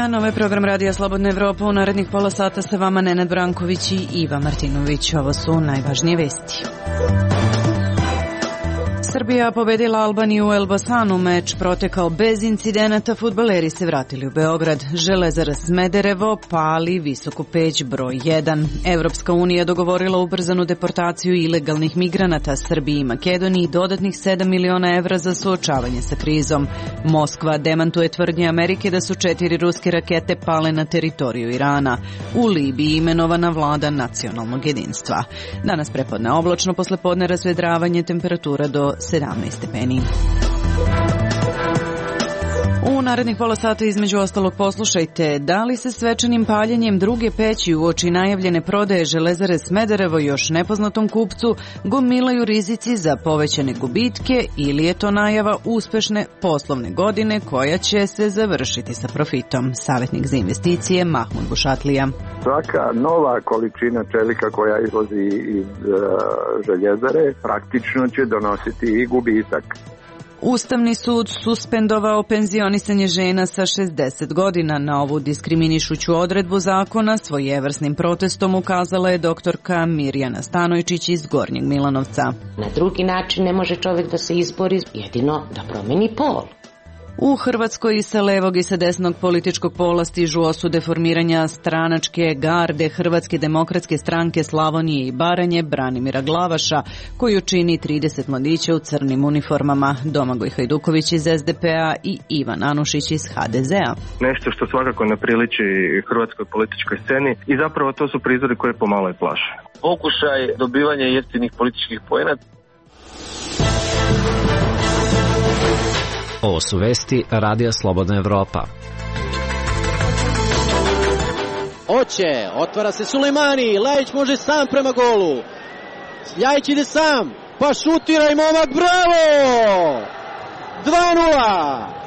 dan, ovo je program Radija Slobodna Evropa. U narednih pola sata sa vama Nenad Branković i Iva Martinović. Ovo su najvažnije vesti. Srbija pobedila Albaniju u Elbasanu, meč protekao bez incidenata, fudbaleri se vratili u Beograd. Železara Smederevo pali Visoku Peć broj 1. Evropska unija dogovorila ubrzanu deportaciju ilegalnih migranata Srbiji i Makedoniji, dodatnih 7 miliona evra za suočavanje sa krizom. Moskva demantuje tvrdnje Amerike da su 4 ruske rakete pale na teritoriju Irana. U Libiji imenovana vlada nacionalnog jedinstva. Danas prepodne oblačno, poslepodne razvedravanje, temperatura do 17 stepeni. U narednih pola sata između ostalog poslušajte da li se svečanim paljenjem druge peći uoči najavljene prodaje Železare Smederevo još nepoznatom kupcu gomilaju rizici za povećane gubitke ili je to najava uspešne poslovne godine koja će se završiti sa profitom. Savjetnik za investicije Mahmud Bušatlija. Svaka nova količina čelika koja izlazi iz željezare praktično će donositi i gubitak. Ustavni sud suspendovao penzionisanje žena sa 60 godina. Na ovu diskriminišuću odredbu zakona svojevrsnim protestom ukazala je doktorka Mirjana Stanojčić iz Gornjeg Milanovca. Na drugi način ne može čovjek da se izbori, jedino da promeni pol. U Hrvatskoj i sa levog i sa desnog političkog pola stižu osude formiranja stranačke garde Hrvatske demokratske stranke Slavonije i Baranje Branimira Glavaša, koju čini 30 mladića u crnim uniformama, Domagoj Hajduković iz SDP-a i Ivan Anušić iz HDZ-a. Nešto što svakako ne priliči hrvatskoj političkoj sceni i zapravo to su prizori koje pomalo i plaše. Pokušaj dobivanja jeftinih političkih poena. Ovo su vesti Radija Slobodna Evropa. Oće, otvara se Sulejmani, Lajić može sam prema golu. Ljajić ide sam, pa šutira i momak, bravo! 2:0!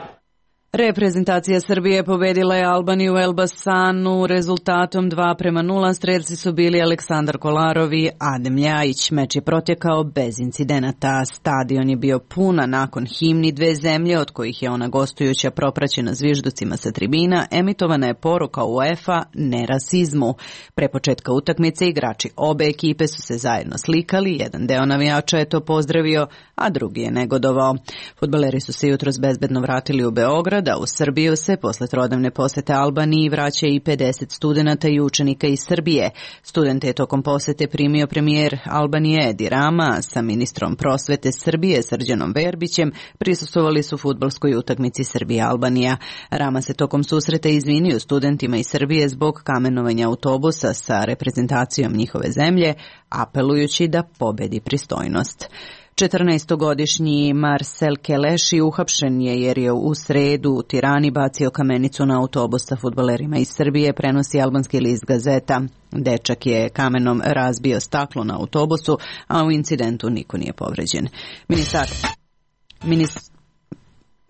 Reprezentacija Srbije pobedila je Albaniju u Elbasanu rezultatom 2:0. Strelci su bili Aleksandar Kolarov i Adem Ljajić. Meč je protekao bez incidenata. Stadion je bio puna nakon himni dve zemlje, od kojih je ona gostujuća propraćena zvižducima sa tribina. Emitovana je poruka UEFA ne rasizmu. Pre početka utakmice igrači obe ekipe su se zajedno slikali. Jedan deo navijača je to pozdravio, a drugi je negodovao. Fudbaleri su se jutros bezbedno vratili u Beograd, da u Srbiju se posle trodnevne posete Albaniji vraća i 50 studenata i učenika iz Srbije. Studente je tokom posete primio premijer Albanije Edi Rama sa ministrom prosvete Srbije Srđanom Verbićem. Prisustvovali su fudbalskoj utakmici Srbija-Albanija. Rama se tokom susreta izvinio studentima iz Srbije zbog kamenovanja autobusa sa reprezentacijom njihove zemlje, apelujući da pobedi pristojnost. 14-godišnji Marcel Keleši uhapšen je jer je u sredu u Tirani bacio kamenicu na autobus sa fudbalerima iz Srbije, prenosi albanski list Gazeta. Dečak je kamenom razbio staklo na autobusu, a u incidentu niko nije povređen.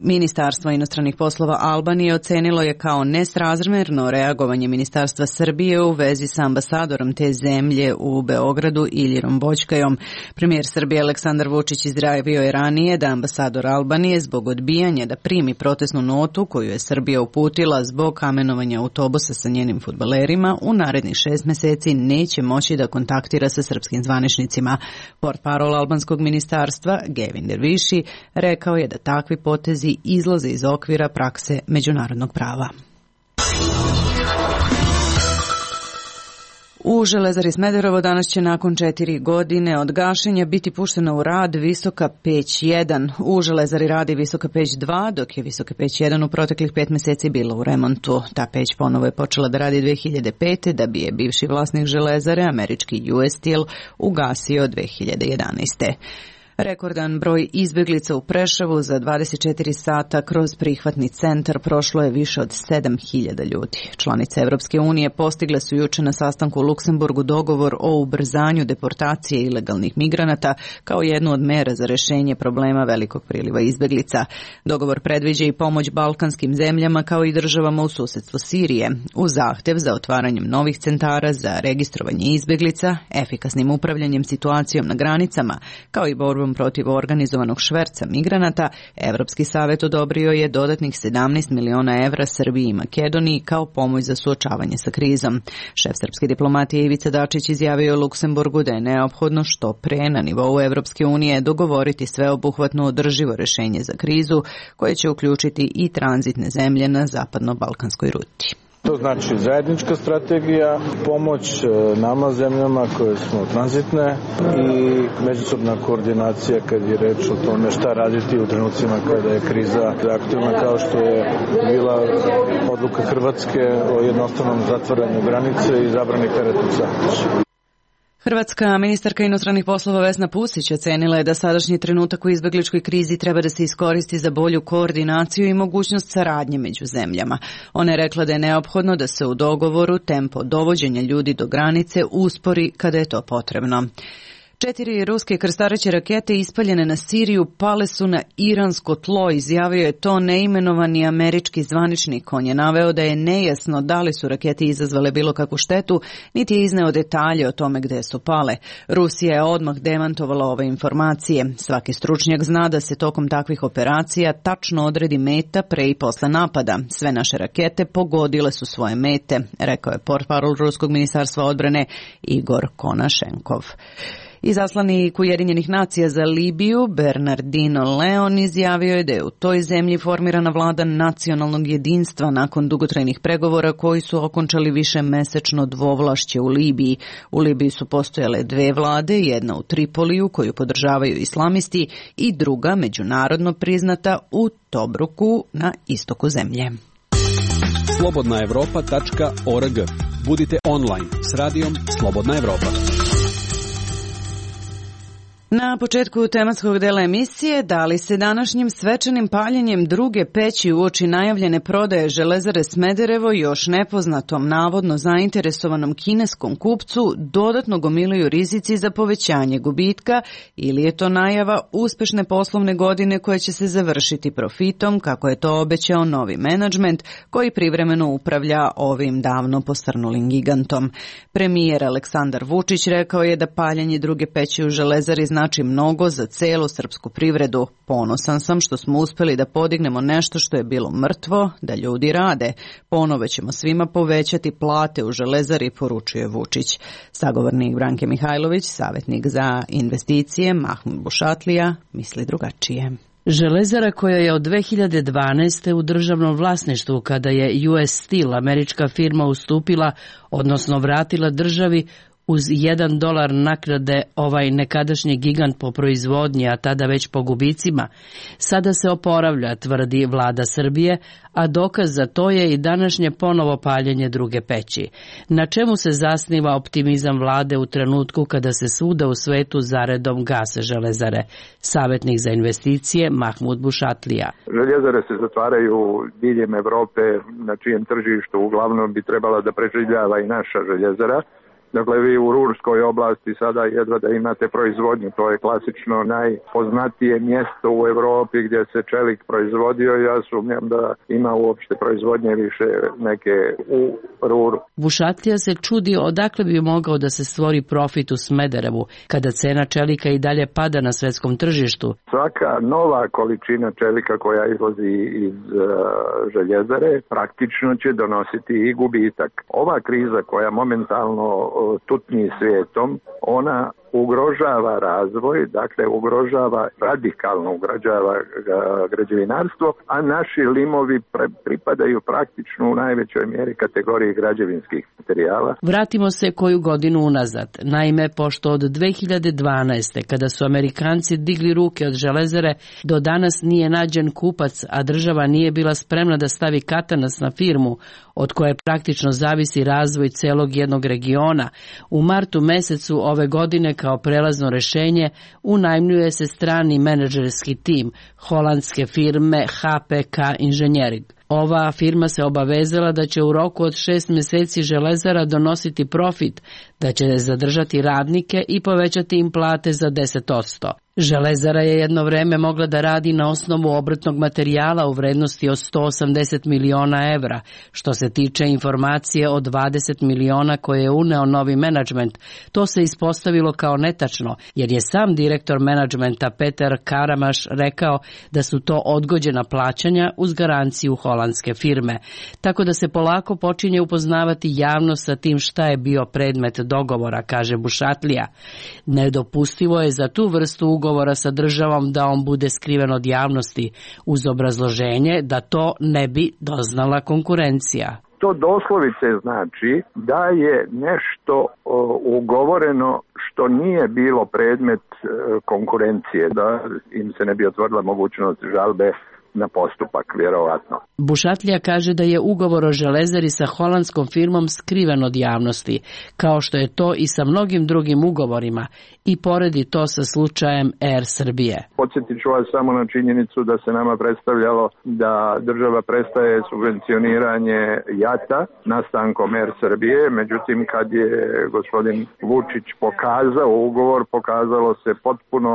Ministarstvo inostranih poslova Albanije ocenilo je kao nesrazmjerno reagovanje Ministarstva Srbije u vezi sa ambasadorom te zemlje u Beogradu Iljirom Boćkajom. Premijer Srbije Aleksandar Vučić izjavio je ranije da ambasador Albanije zbog odbijanja da primi protestnu notu koju je Srbija uputila zbog kamenovanja autobusa sa njenim fudbalerima u narednih 6 meseci neće moći da kontaktira sa srpskim zvaničnicima. Portparol albanskog ministarstva Gevin Derviši rekao je da takvi potezi izlaze iz okvira prakse međunarodnog prava. U Železari Smederevo danas će nakon 4 godine od gašenja biti puštena u rad Visoka Peć 1. U Železari radi Visoka Peć 2, dok je Visoka Peć 1 u proteklih 5 meseci bila u remontu. Ta peć ponovo je počela da radi 2005. da bi je bivši vlasnik Železare, američki US Steel, ugasio 2011. Rekordan broj izbjeglica u Preševu za 24 sata kroz prihvatni centar prošlo je više od 7.000 ljudi. Članice Evropske unije postigle su juče na sastanku u Luksemburgu dogovor o ubrzanju deportacije ilegalnih migranata kao jednu od mera za rešenje problema velikog priliva izbjeglica. Dogovor predviđa i pomoć balkanskim zemljama kao i državama u susedstvu Sirije, uz zahtev za otvaranjem novih centara za registrovanje izbjeglica, efikasnim upravljanjem situacijom na granicama, kao i borbom borbom protiv organizovanog šverca migranata, Evropski savet odobrio je dodatnih 17 miliona evra Srbiji i Makedoniji kao pomoć za suočavanje sa krizom. Šef srpske diplomatije Ivica Dačić izjavio Luksemburgu da je neophodno što pre na nivou Evropske unije dogovoriti sveobuhvatno održivo rešenje za krizu koje će uključiti i tranzitne zemlje na zapadno-balkanskoj ruti. To znači zajednička strategija, pomoć nama zemljama koje smo tranzitne i međusobna koordinacija kad je reč o tome šta raditi u trenucima kada je kriza aktivna, kao što je bila odluka Hrvatske o jednostavnom zatvaranju granice i zabrani teretnog saobraćaja. Hrvatska ministarka inostranih poslova Vesna Pusić ocenila je da sadašnji trenutak u izbegličkoj krizi treba da se iskoristi za bolju koordinaciju i mogućnost saradnje među zemljama. Ona je rekla da je neophodno da se u dogovoru tempo dovođenja ljudi do granice uspori kada je to potrebno. 4 ruske krstareće rakete ispaljene na Siriju pale su na iransko tlo, izjavio je to neimenovani američki zvaničnik. On je naveo da je nejasno da li su rakete izazvale bilo kakvu štetu, niti je izneo detalje o tome gde su pale. Rusija je odmah demantovala ove informacije. Svaki stručnjak zna da se tokom takvih operacija tačno odredi meta pre i posle napada. Sve naše rakete pogodile su svoje mete, rekao je portparol Ruskog ministarstva odbrane Igor Konašenkov. Izaslanik Ujedinjenih nacija za Libiju, Bernardino Leon, izjavio je da je u toj zemlji formirana vlada nacionalnog jedinstva nakon dugotrajnih pregovora koji su okončali višemesečno dvovlašće u Libiji. U Libiji su postojale 2 vlade, jedna u Tripoliju koju podržavaju islamisti i druga međunarodno priznata u Tobruku na istoku zemlje. Slobodnaevropa.org. Budite online s radijom Slobodna Evropa. Na početku tematskog dela emisije, da li se današnjim svečanim paljenjem druge peći uoči najavljene prodaje Železare Smederevo još nepoznatom, navodno zainteresovanom kineskom kupcu dodatno gomilaju rizici za povećanje gubitka ili je to najava uspešne poslovne godine koja će se završiti profitom, kako je to obećao novi menadžment koji privremeno upravlja ovim davno posrnulim gigantom. Premijer Aleksandar Vučić rekao je da paljenje druge peći u Železari znači mnogo za celu srpsku privredu. Ponosan sam što smo uspeli da podignemo nešto što je bilo mrtvo, da ljudi rade. Ponovo ćemo svima povećati plate u Železari, poručuje Vučić. Sagovornik Branke Mihajlović, savjetnik za investicije Mahmud Bušatlija, misli drugačije. Železara koja je od 2012. u državnom vlasništvu kada je US Steel, američka firma, ustupila, odnosno vratila državi uz $1 naknade ovaj nekadašnji gigant po proizvodnji, a tada već po gubicima, sada se oporavlja, tvrdi vlada Srbije, a dokaz za to je i današnje ponovo paljenje druge peći. Na čemu se zasniva optimizam vlade u trenutku kada se svuda u svetu zaredom gase železare? Savjetnik za investicije Mahmud Bušatlija. Željezare se zatvaraju diljem Evrope, na čijem tržištu uglavnom bi trebala da preživljava i naša željezara. Dakle, vi u Ružskoj oblasti sada jedva da imate proizvodnju, to je klasično najpoznatije mjesto u Evropi gdje se čelik proizvodio. Ja sumnjam da ima uopšte proizvodnje više neke u Ruru. Bušatlija se čudi odakle bi mogao da se stvori profit u Smederevu, kada cena čelika i dalje pada na svetskom tržištu. Svaka nova količina čelika koja izlazi iz željezare praktično će donositi i gubitak. Ova kriza koja momentalno tutnji svijetom, ona ugrožava razvoj, dakle radikalno ugrožava građevinarstvo, a naši limovi pripadaju praktično u najvećoj mjeri kategoriji građevinskih materijala. Vratimo se koju godinu unazad. Naime, pošto od 2012. kada su Amerikanci digli ruke od železare, do danas nije nađen kupac, a država nije bila spremna da stavi katanac na firmu, od koje praktično zavisi razvoj celog jednog regiona, u martu mesecu ove godine kao prelazno rešenje unajmljuje se strani menadžerski tim holandske firme HPK Engineering. Ova firma se obavezala da će u roku od 6 mjeseci Železara donositi profit, da će zadržati radnike i povećati im plate za 10%. Železara je jedno vreme mogla da radi na osnovu obrtnog materijala u vrednosti od 180 miliona evra. Što se tiče informacije o 20 miliona koje je uneo novi menadžment, to se ispostavilo kao netačno, jer je sam direktor menadžmenta Peter Karamaš rekao da su to odgođena plaćanja uz garanciju holandske firme. Tako da se polako počinje upoznavati javnost sa tim šta je bio predmet dogovora, kaže Bušatlija. Nedopustivo je za tu vrstu ugovora sa državom da on bude skriven od javnosti, uz obrazloženje da to ne bi doznala konkurencija. To doslovice znači da je nešto ugovoreno što nije bilo predmet konkurencije, da im se ne bi otvorila mogućnost žalbe na postupak, vjerovatno. Bušatlija kaže da je ugovor o Železari sa holandskom firmom skriven od javnosti, kao što je to i sa mnogim drugim ugovorima, i poredi to sa slučajem Air Srbije. Podsjetit ću vas samo na činjenicu da se nama predstavljalo da država prestaje subvencioniranje JAT-a nastankom Air Srbije, međutim kad je gospodin Vučić pokazao ugovor, pokazalo se potpuno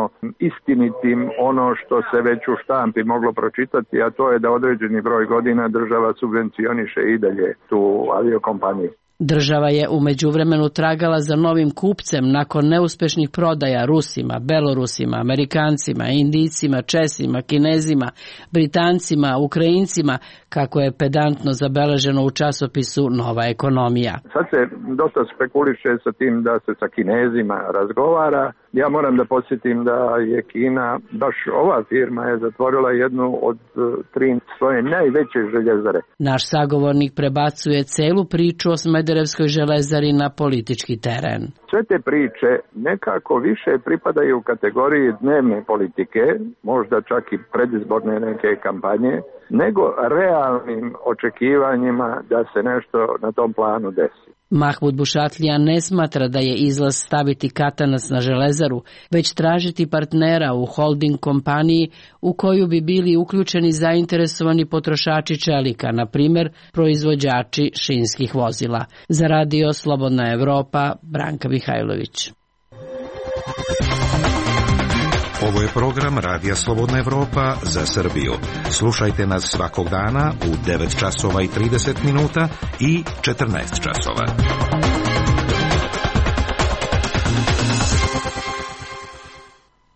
istinitim ono što se već u štampi moglo pročitati, a to je da određeni broj godina država subvencioniše i dalje tu aviokompaniju. Država je u međuvremenu tragala za novim kupcem nakon neuspešnih prodaja Rusima, Belorusima, Amerikancima, Indijcima, Česima, Kinezima, Britancima, Ukrajincima, kako je pedantno zabeleženo u časopisu Nova ekonomija. Sad se dosta spekuliše sa tim da se sa Kinezima razgovara. Ja moram da podsjetim da je Kina, baš ova firma je zatvorila jednu od 3 svoje najveće željezare. Naš sagovornik prebacuje celu priču o Smederevskoj železari na politički teren. Sve te priče nekako više pripadaju u kategoriji dnevne politike, možda čak i predizborne neke kampanje, nego realnim očekivanjima da se nešto na tom planu desi. Mahmud Bušatlija ne smatra da je izlaz staviti katanac na Železaru, već tražiti partnera u holding kompaniji u koju bi bili uključeni zainteresovani potrošači čelika, na primjer proizvođači šinskih vozila. Za Radio Slobodna Evropa, Branka Mihajlović. Ovo je program Radija Slobodna Evropa za Srbiju. Slušajte nas svakog dana u 9 časova i 30 minuta i 14 časova.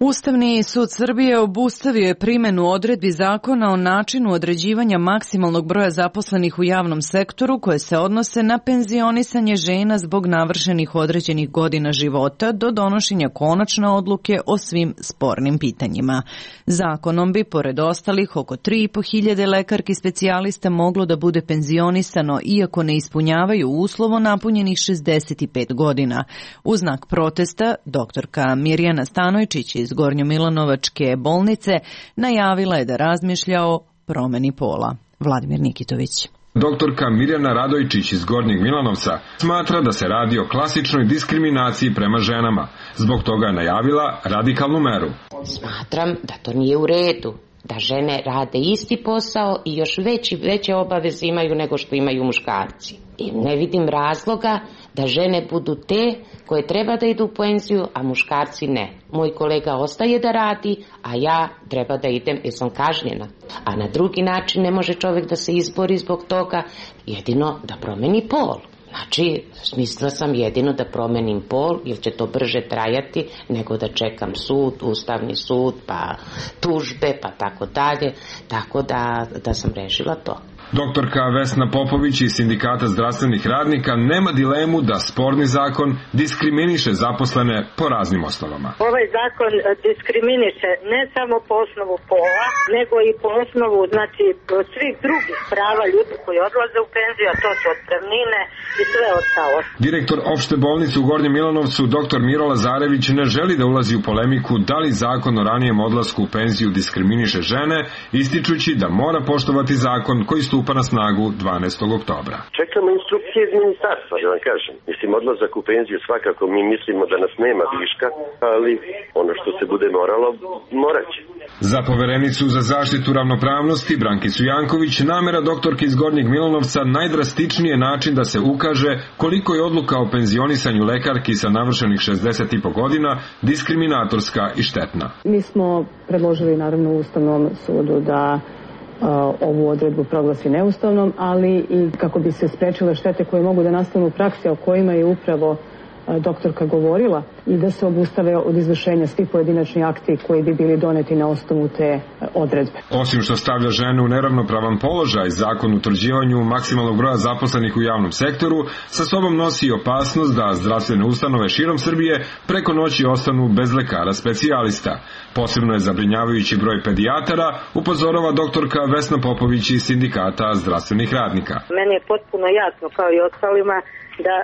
Ustavni sud Srbije obustavio je primjenu odredbi zakona o načinu određivanja maksimalnog broja zaposlenih u javnom sektoru koje se odnose na penzionisanje žena zbog navršenih određenih godina života do donošenja konačne odluke o svim spornim pitanjima. Zakonom bi, pored ostalih, oko 3.500 lekarki specijalista moglo da bude penzionisano iako ne ispunjavaju uslovo napunjenih 65 godina. U znak protesta, doktorka Mirjana Stanojčić iz Gornjomilanovačke bolnice najavila je da razmišlja o promeni pola. Vladimir Nikitović. Doktorka Mirjana Radojčić iz Gornjeg Milanovca smatra da se radi o klasičnoj diskriminaciji prema ženama. Zbog toga je najavila radikalnu meru. Smatram da to nije u redu. Da žene rade isti posao i još veće obaveze imaju nego što imaju muškarci. I ne vidim razloga da žene budu te koje treba da idu u penziju, a muškarci ne. Moj kolega ostaje da radi, a ja treba da idem jer sam kažnjena. A na drugi način ne može čovjek da se izbori zbog toga, jedino da promeni pol. Znači, smislila sam jedino da promenim pol, jer će to brže trajati nego da čekam sud, ustavni sud, pa tužbe, pa tako dalje. Tako da sam rešila to. Doktorka Vesna Popović iz Sindikata zdravstvenih radnika nema dilemu da sporni zakon diskriminiše zaposlene po raznim osnovama. Ovaj zakon diskriminiše ne samo po osnovu pola, nego i po osnovu svih drugih prava ljudi koji odlaze u penziju, a to su otpremnine i sve ostalo. Direktor opšte bolnice u Gornjem Milanovcu, dr. Miro Lazarević, ne želi da ulazi u polemiku da li zakon o ranijem odlasku u penziju diskriminiše žene, ističući da mora poštovati zakon koji stupa stupa na snagu 12. oktobra. Čekamo instrukcije iz ministarstva, da vam kažem. Mislim, odlazak u penziju svakako mi mislimo da nas nema viška, ali ono što se bude moralo, moraće. Za poverenicu za zaštitu ravnopravnosti Brankicu Janković namera doktorke iz Gornjeg Milanovca najdrastičniji je način da se ukaže koliko je odluka o penzionisanju lekarki sa navršenih 60,5 godina diskriminatorska i štetna. Mi smo predložili naravno Ustavnom sudu da ovu odredbu proglasi neustavnom, ali i kako bi se sprečile štete koje mogu da nastanu u praksi, o kojima je upravo doktorka govorila, i da se obustave od izvršenja svi pojedinačni akti koji bi bili doneti na osnovu te odredbe. Osim što stavlja žene u neravnopravan položaj, zakon o utvrđivanju maksimalnog broja zaposlenih u javnom sektoru sa sobom nosi i opasnost da zdravstvene ustanove širom Srbije preko noći ostanu bez lekara specijalista. Posebno je zabrinjavajući broj pedijatara, upozorava doktorka Vesna Popović iz Sindikata zdravstvenih radnika. Meni je potpuno jasno, kao i ostalima, da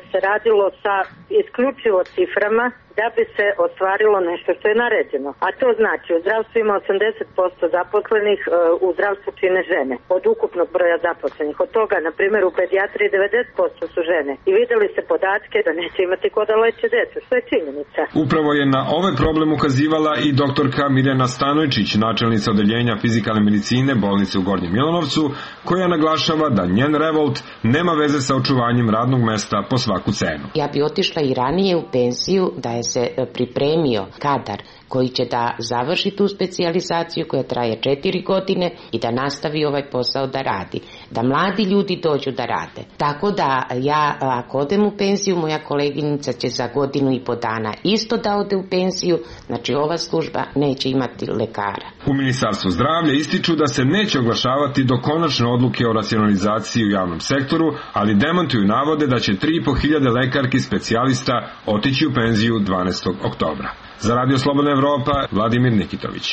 se radilo sa isključivo ciframa da bi se ostvarilo nešto što je naređeno. A to znači, u zdravstvu ima 80% zaposlenih, u zdravstvu čine žene od ukupnog broja zaposlenih. Od toga, na primjer, u pedijatriji 90% su žene. I vidjeli se podatke da neće imati ko da leče decu, što je činjenica. Upravo je na ovaj problem ukazivala i doktorka Mirjana Stanojčić, načelnica odeljenja fizikalne medicine bolnice u Gornjem Milanovcu, koja naglašava da njen revolt nema veze sa očuvanjem radnog mesta po svaku cenu. Ja bi otišla i ranije u penziju da je se pripremio kadar koji će da završi tu specijalizaciju koja traje 4 godine i da nastavi ovaj posao da radi. Da mladi ljudi dođu da rade. Tako da ja, ako odem u penziju, moja koleginica će za 1,5 godinu dana isto da ode u penziju, znači ova služba neće imati lekara. U Ministarstvu zdravlja ističu da se neće oglašavati do konačne odluke o racionalizaciji u javnom sektoru, ali demantuju navode da će 3.500 lekarki specijalista otići u penziju 12. oktobra. Za Radio Slobodna Evropa, Vladimir Nikitović.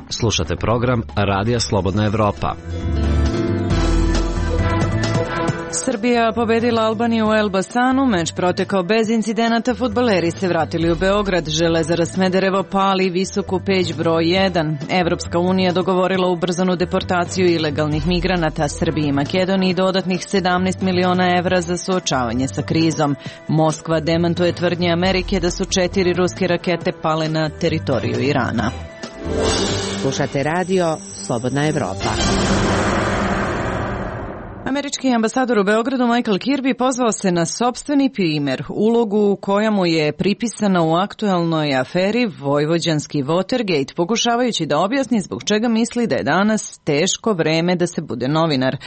Slušate program Radija Slobodna Evropa. Srbija pobedila Albaniju u Elbasanu, meč protekao bez incidenata, fudbaleri se vratili u Beograd, Železara Smederevo pali visoku peć broj 1. Evropska unija dogovorila ubrzanu deportaciju ilegalnih migranata Srbiji i Makedoniji dodatnih 17 miliona evra za suočavanje sa krizom. Moskva demantuje tvrdnje Amerike da su 4 ruske rakete pale na teritoriju Irana. Slušate radio Slobodna Evropa. Američki ambasador u Beogradu Michael Kirby pozvao se na sopstveni primer, ulogu koja mu je pripisana u aktuelnoj aferi Vojvođanski Watergate, pokušavajući da objasni zbog čega misli da je danas teško vreme da se bude novinar.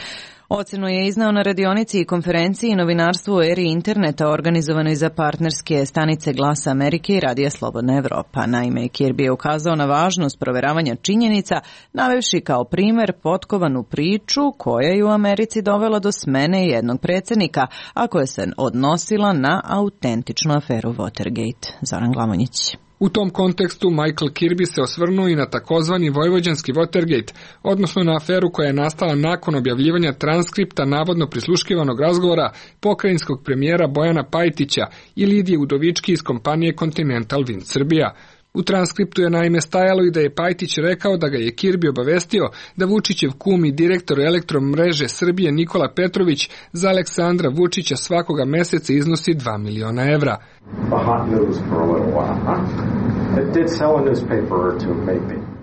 Ocenu je iznao na radionici i konferenciji Novinarstvo u eri interneta organizovanoj za partnerske stanice Glasa Amerike i Radija Slobodna Evropa. Naime, Kirby je ukazao na važnost proveravanja činjenica, navevši kao primer potkovanu priču koja je u Americi dovela do smene jednog predsjednika, a koja se odnosila na autentičnu aferu Watergate. Zoran Glamonjić. U tom kontekstu Michael Kirby se osvrnuo i na takozvani Vojvođanski Watergate, odnosno na aferu koja je nastala nakon objavljivanja transkripta navodno prisluškivanog razgovora pokrajinskog premijera Bojana Pajtića i Lidije Udovički iz kompanije Continental Wind Srbija. U transkriptu je naime stajalo i da je Pajtić rekao da ga je Kirby obavestio da Vučićev kum i direktor Elektromreže Srbije Nikola Petrović za Aleksandra Vučića svakoga meseca iznosi 2 miliona evra.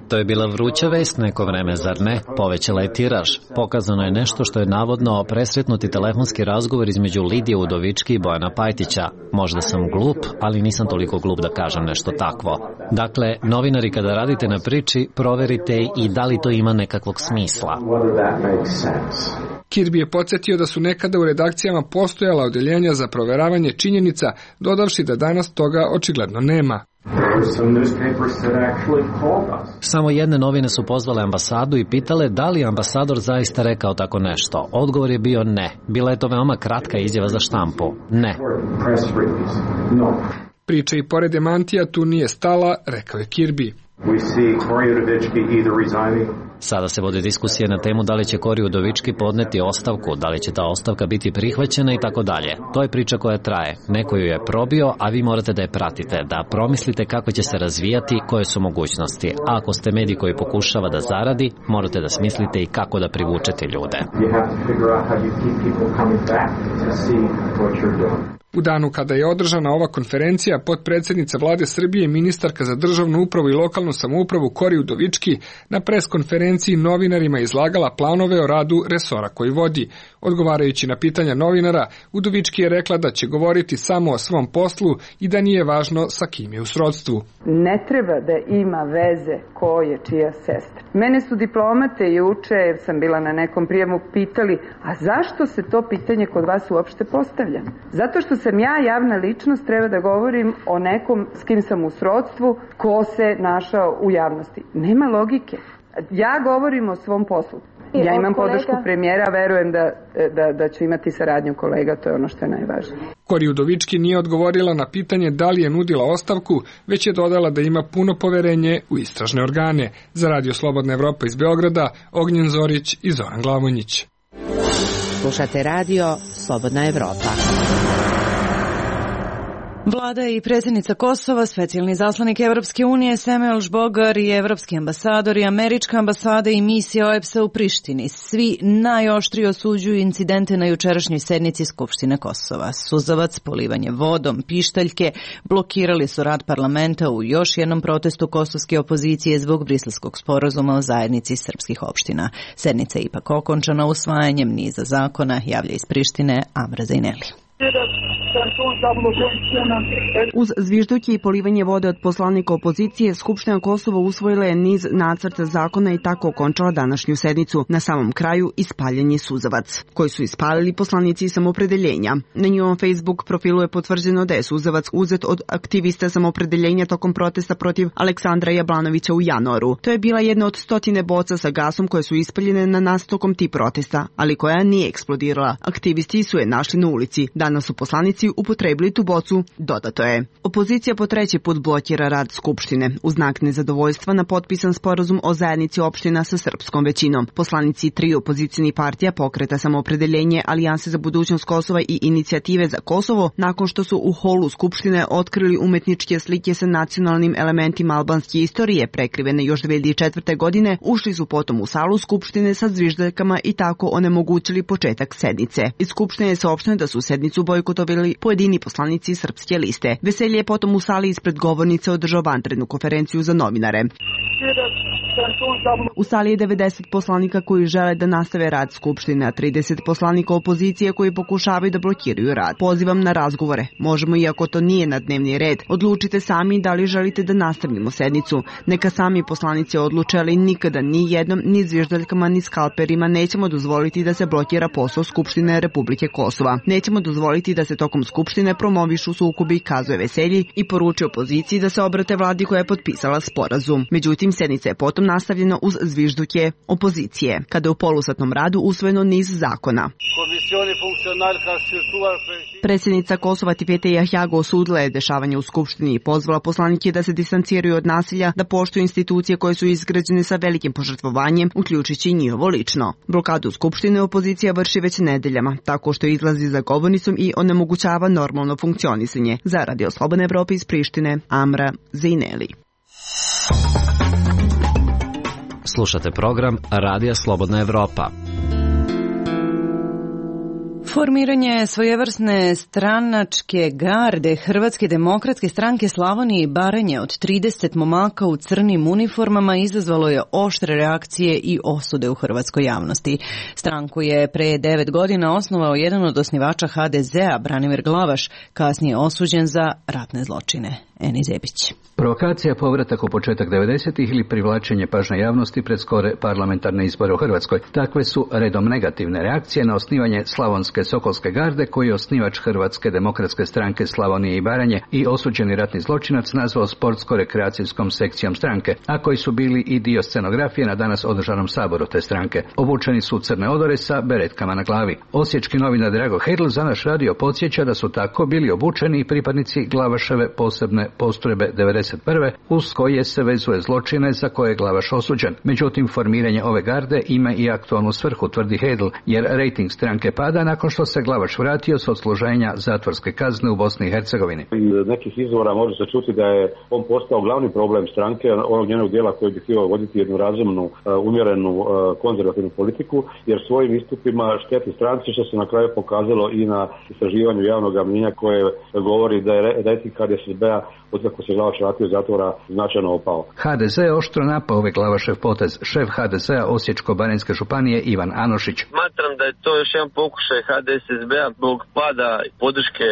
To je bila vruća vest neko vreme, zar ne? Povećala je tiraž. Pokazano je nešto što je navodno presretnuti telefonski razgovor između Lidije Udovički i Bojana Pajtića. Možda sam glup, ali nisam toliko glup da kažem nešto takvo. Dakle, novinari kada radite na priči, proverite i da li to ima nekakvog smisla. Kirby je podsjetio da su nekada u redakcijama postojala odeljenja za proveravanje činjenica, dodavši da danas toga očigledno nema. Samo jedne novine su pozvale ambasadu i pitale da li ambasador zaista rekao tako nešto. Odgovor je bio ne. Bila je to veoma kratka izjava za štampu. Ne. Priča i pored demantija tu nije stala, rekao je Kirby. Sada se vode diskusije na temu da li će Kori Udovički podneti ostavku, da li će ta ostavka biti prihvaćena i tako dalje. To je priča koja traje. Neko ju je probio, a vi morate da je pratite, da promislite kako će se razvijati, koje su mogućnosti. A ako ste medij koji pokušava da zaradi, morate da smislite i kako da privučete ljude. U danu kada je održana ova konferencija, potpredsednica vlade Srbije i ministarka za državnu upravu i lokalnu samoupravu Kori Udovički na preskonferenciji novinarima izlagala planove o radu resora koji vodi. Odgovarajući na pitanja novinara, Udovički je rekla da će govoriti samo o svom poslu i da nije važno sa kim je u srodstvu. Ne treba da ima veze ko je čija sestra. Mene su diplomate juče, sam bila na nekom prijemu, pitali, a zašto se to pitanje kod vas uopšte postavlja? Zato što sam ja javna ličnost, treba da govorim o nekom s kim sam u srodstvu, ko se našao u javnosti. Nema logike. Ja govorim o svom poslu. Ja imam podršku premijera, verujem da ću imati saradnju kolega, to je ono što je najvažnije. Kori Udovički nije odgovorila na pitanje da li je nudila ostavku, već je dodala da ima puno poverenje u istražne organe. Za Radio Slobodna Evropa iz Beograda, Ognjen Zorić i Zoran Glavonjić. Slušate Radio Slobodna Evropa. Vlada i predsjednica Kosova, specijalni zaslanik Evropske unije Samuel Žbogar i evropski ambasador i američka ambasada i misija OEBS-a u Prištini svi najoštrije osuđuju incidente na jučerašnjoj sednici Skupštine Kosova. Suzavac, polivanje vodom, pištaljke blokirali su rad parlamenta u još jednom protestu kosovske opozicije zbog briselskog sporazuma o zajednici srpskih opština. Sednica je ipak okončana usvajanjem niza zakona, javlja iz Prištine Amra Zajneli. Uz zvižduke i polivanje vode od poslanika opozicije, Skupština Kosova usvojila je niz nacrta zakona i tako okončala današnju sednicu. Na samom kraju ispaljen je suzavac, koji su ispalili poslanici samopredeljenja. Na njihovom Facebook profilu je potvrđeno da je suzavac uzet od aktivista samopredeljenja tokom protesta protiv Aleksandra Jablanovića u januaru. To je bila jedna od 100 boca sa gasom koje su ispaljene na nas tokom tih protesta, ali koja nije eksplodirala. Aktivisti su je našli na ulici. Danas su poslanici upotrebili tu bocu, dodato je. Opozicija po treći put blokira rad Skupštine uz znak nezadovoljstva na potpisan sporazum o zajednici opština sa srpskom većinom. Poslanici tri opozicijnih partija, Pokreta samoopredeljenje, Alijanse za budućnost Kosova i Inicijative za Kosovo, nakon što su u holu Skupštine otkrili umetničke slike sa nacionalnim elementima albanske istorije prekrivene još 2004. godine, ušli su potom u salu Skupštine sa zviždaljkama i tako onemogućili početak sednice. Iz Skupštine je saopšteno da su sednicu bojkotovali pojedini poslanici Srpske liste. Veselje je potom u sali ispred govornice održao vanrednu konferenciju za novinare. U sali je 90 poslanika koji žele da nastave rad Skupštine, a 30 poslanika opozicije koji pokušavaju da blokiraju rad. Pozivam na razgovore. Možemo, iako to nije na dnevni red. Odlučite sami da li želite da nastavimo sednicu. Neka sami poslanici odluče, ali nikada ni jednom, ni zviždaljkama, ni skalperima nećemo dozvoliti da se blokira posao Skupštine Republike Kosova. Nećemo dozvoliti da se tokom Skupštine promovišu sukobi, kazuje Veselji i poručuje opoziciji da se obrate vladi koja je potpisala sporazum. Međutim, sednica je potom nastavljena uz zvižduke opozicije, kada je u polusatnom radu usvojeno niz zakona. Predsjednica Kosova Tifete Jahjago osudila je dešavanje u Skupštini i pozvala poslanike da se distanciraju od nasilja, da poštuju institucije koje su izgrađene sa velikim požrtvovanjem, uključujući i njihovo lično. Blokadu Skupštine opozicija vrši već nedeljama, tako što izlazi za govornicom i onemogućava normalno funkcionisanje. Za Radio Slobodna Evropa iz Prištine, Amra Zajneli. Slušate program Radija Slobodna Evropa. Formiranje svojevrsne stranačke garde Hrvatske demokratske stranke Slavonije i Baranje od 30 momaka u crnim uniformama izazvalo je oštre reakcije i osude u hrvatskoj javnosti. Stranku je pre 9 godina osnovao jedan od osnivača HDZ-a, Branimir Glavaš, kasnije osuđen za ratne zločine. Eni Zebić. Provokacija, povratak u početak 90-ih ili privlačenje pažnje javnosti pred skore parlamentarne izbore u Hrvatskoj. Takve su redom negativne reakcije na osnivanje Slavonske Sokolske garde, koji je osnivač Hrvatske demokratske stranke Slavonije i Baranje i osuđeni ratni zločinac nazvao sportsko-rekreacijskom sekcijom stranke, a koji su bili i dio scenografije na danas održanom saboru te stranke. Obučeni su crne odore sa beretkama na glavi. Osječki novinar Drago Hedl za naš radio podsjeća da su tako bili obučeni i pripadnici Glavaševe posebne postrojbe 91. uz koje se vezuje zločine za koje je Glavaš osuđen. Međutim, formiranje ove garde ima i aktualnu svrhu, tvrdi Hedl, jer rejting stranke pada nakon što se Glavaš vratio s odsluženja zatvorske kazne u Bosni i Hercegovini. Iz nekih izvora može se čuti da je on postao glavni problem stranke, onog njenog dijela koji bi htio voditi jednu razumnu, umjerenu, konzervativnu politiku, jer svojim istupima šteti stranci, što se na kraju pokazalo i na istraživanju javnog mnijenja koje govori da je rejting HDSSB-a otkako se Glavaš vratio iz zatvora značajno opao. HDZ je oštro napao ovaj Glavašev potez. Šef HDZ-a Osječko-baranjske županije Ivan Anošić. Smatram da je to još jedan pokušaj HDSSB-a zbog pada podrške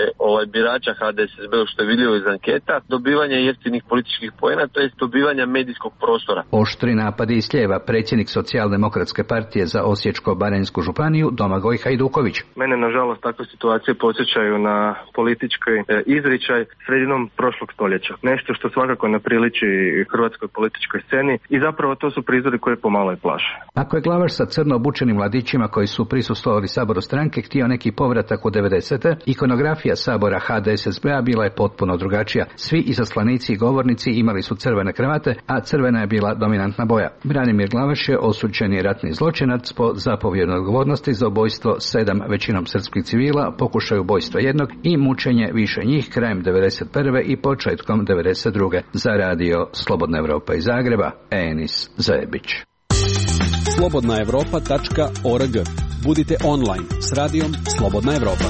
birača HDSSB-a, što je vidljivo iz anketa, dobivanja jeftinih političkih poena, to jest dobivanja medijskog prostora. Oštri napadi iz lijeva predsjednik Socijaldemokratske partije za Osječko-baranjsku županiju Domagoj Hajduković. Mene nažalost takve situacije podsjećaju na politički izričaj sredinom prošlog stoljeća. Nešto što svakako ne priliči hrvatskoj političkoj sceni i zapravo to su prizori koje pomalo i plaše. Ako je Glavaš sa crno obučenim mladićima koji su prisustvovali saboru stranke htio neki povratak u 90. ikonografija sabora HDSSB-a bila je potpuno drugačija. Svi izaslanici i govornici imali su crvene kravate, a crvena je bila dominantna boja. Branimir Glavaš je osuđeni ratni zločinac po zapovjednoj odgovornosti za ubojstvo 7 većinom srpskih civila, pokušaj ubojstva jednog i mučenje više njih krajem 91. i početkom 92. Za radio Slobodna Evropa iz Zagreba, Enis Zajebić. slobodnaevropa.org. Budite online s radijom Slobodna Evropa.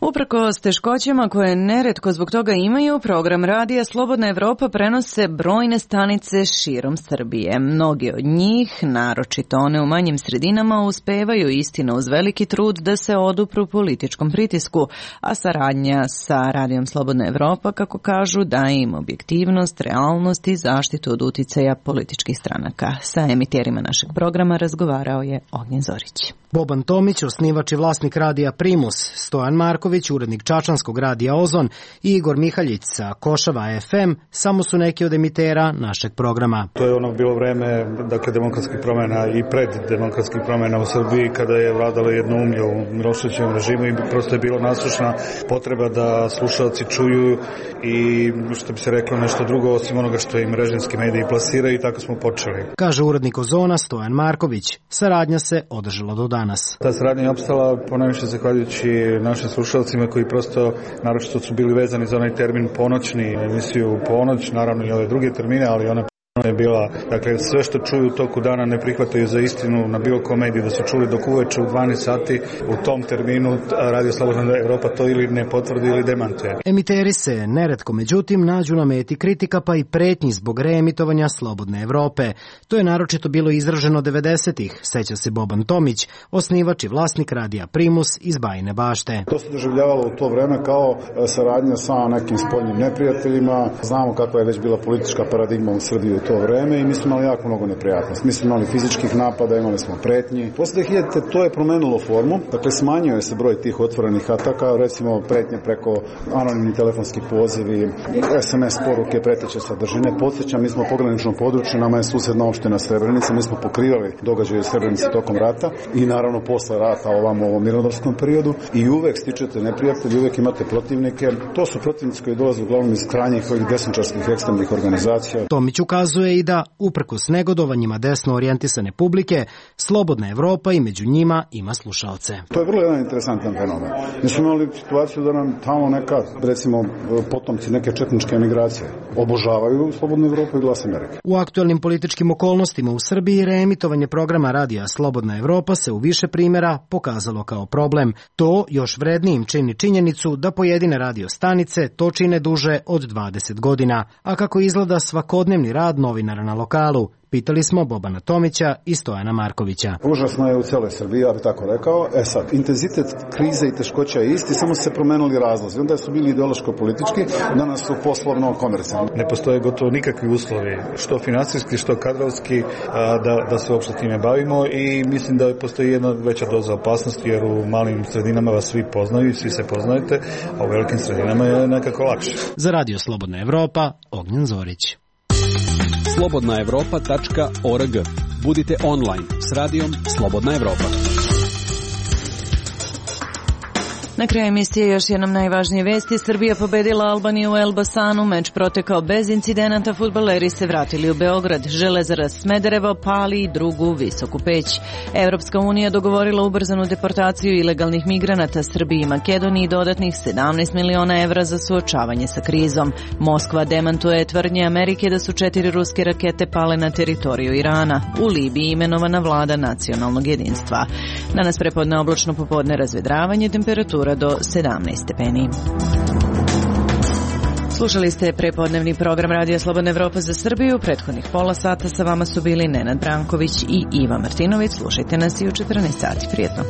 Uprkos teškoćama koje neretko zbog toga imaju, program radija Slobodna Evropa prenose brojne stanice širom Srbije. Mnogi od njih, naročito one u manjim sredinama, uspevaju istina uz veliki trud da se odupru političkom pritisku, a saradnja sa radijom Slobodna Evropa, kako kažu, daje im objektivnost, realnost i zaštitu od uticaja političkih stranaka. Sa emiterima našeg programa razgovarao je Ognjen Zorić. Boban Tomić, osnivač i vlasnik radija Primus, Stojan Marković, urednik čačanskog radija Ozon i Igor Mihaljić sa Košava FM samo su neki od emitera našeg programa. To je ono bilo vreme, dakle, demokratskih promjena i pred demokratskih promjena u Srbiji, kada je vladalo jednoumlje u Miloševićevom režimu i prosto je bilo nasušna potreba da slušalci čuju i, što bi se reklo, nešto drugo osim onoga što im režimski mediji plasiraju, i tako smo počeli. Kaže urednik Ozona Stojan Marković. Saradnja se održala do danas. Ta saradnja je opstala ponajviše zahvaljujući našim slušalcima koji prosto naročito su bili vezani za onaj termin ponoćni, emisiju Ponoć, naravno i ove druge termine, ali ona je bila, dakle, sve što čuju u toku dana ne prihvataju za istinu na bilo kom mediju, da su čuli dok uveče u 12 sati u tom terminu Radio Slobodna Evropa to ili ne potvrdi ili demantuje. Emiteri se neretko međutim nađu na meti kritika pa i pretnji zbog reemitovanja Slobodne Evrope. To je naročito bilo izraženo 90-ih, seća se Boban Tomić, osnivač i vlasnik radija Primus iz Bajine Bašte. To se doživljavalo u to vreme kao saradnja sa nekim spoljnim neprijateljima. Znamo kakva je već bila politička paradigma u Srbiji u to vreme i mi smo imali jako mnogo neprijatnosti. Mi smo imali fizičkih napada, imali smo pretnji. Posle 2000 to je promenilo formu, dakle smanjuje se broj tih otvorenih ataka, recimo pretnje preko anonimni telefonski pozivi, SMS poruke, preteće sadržine. Podsjećam, mi smo pogranično područje, nama je susedna opština Srebrenica, mi smo pokrivali događaje u Srebrenici tokom rata i naravno posle rata ovamo u ovom mirnodopskom periodu i uvek stičete neprijatelji, uvek imate protivnike. To su protivnici koji dolaze uglavnom iz krajnjih ovih desničarskih ekstremnih organizacija. Tomić ukazuje i da, uprkos negodovanjima desno orijentisane publike, Slobodna Evropa i među njima ima slušalce. To je vrlo jedan interesantan fenomen. Mi smo imali situaciju da nam tamo neka, recimo, potomci neke četničke emigracije obožavaju Slobodnu Evropu i Glas Amerike. U aktuelnim političkim okolnostima u Srbiji reemitovanje programa radija Slobodna Evropa se u više primjera pokazalo kao problem. To još vrednijim čini činjenicu da pojedine radio stanice to čine duže od 20 godina. A kako izgleda svakodnevni rad novinara na lokalu, pitali smo Bobana Tomića i Stojana Markovića. Užasno je u cijeloj Srbiji, ja bih tako rekao. Sad, intenzitet krize i teškoća je isti, samo su se promenili razlozi. Onda su bili ideološko-politički, danas su poslovno-komercijalni. Ne postoje gotovo nikakvi uslovi, što finansijski, što kadrovski, da se uopšte time bavimo i mislim da postoji jedna veća doza opasnosti, jer u malim sredinama vas svi poznaju, svi se poznajete, a u velikim sredinama je nekako lakše. Za Radio Slobodna Evropa, Ognjen Zorić. slobodnaevropa.org. Budite online s radijom Slobodna Evropa. Na kraju emisije još jednom najvažnije vesti. Srbija pobedila Albaniju u Elbasanu, meč protekao bez incidenata, fudbaleri se vratili u Beograd. Železara Smederevo pali drugu visoku peć. Evropska unija dogovorila ubrzanu deportaciju ilegalnih migranata Srbiji i Makedoniji dodatnih 17 miliona evra za suočavanje sa krizom. Moskva demantuje tvrdnje Amerike da su 4 ruske rakete pale na teritoriju Irana. U Libiji imenovana vlada nacionalnog jedinstva. Danas prepodne oblačno, popodne razvedravanje, temperatura do 17 stepeni. Slušali ste prepodnevni program Radija Slobodna Evropa za Srbiju. Prethodnih pola sata sa vama su bili Nenad Branković i Iva Martinović. Slušajte nas i u 14 sati. Prijetno.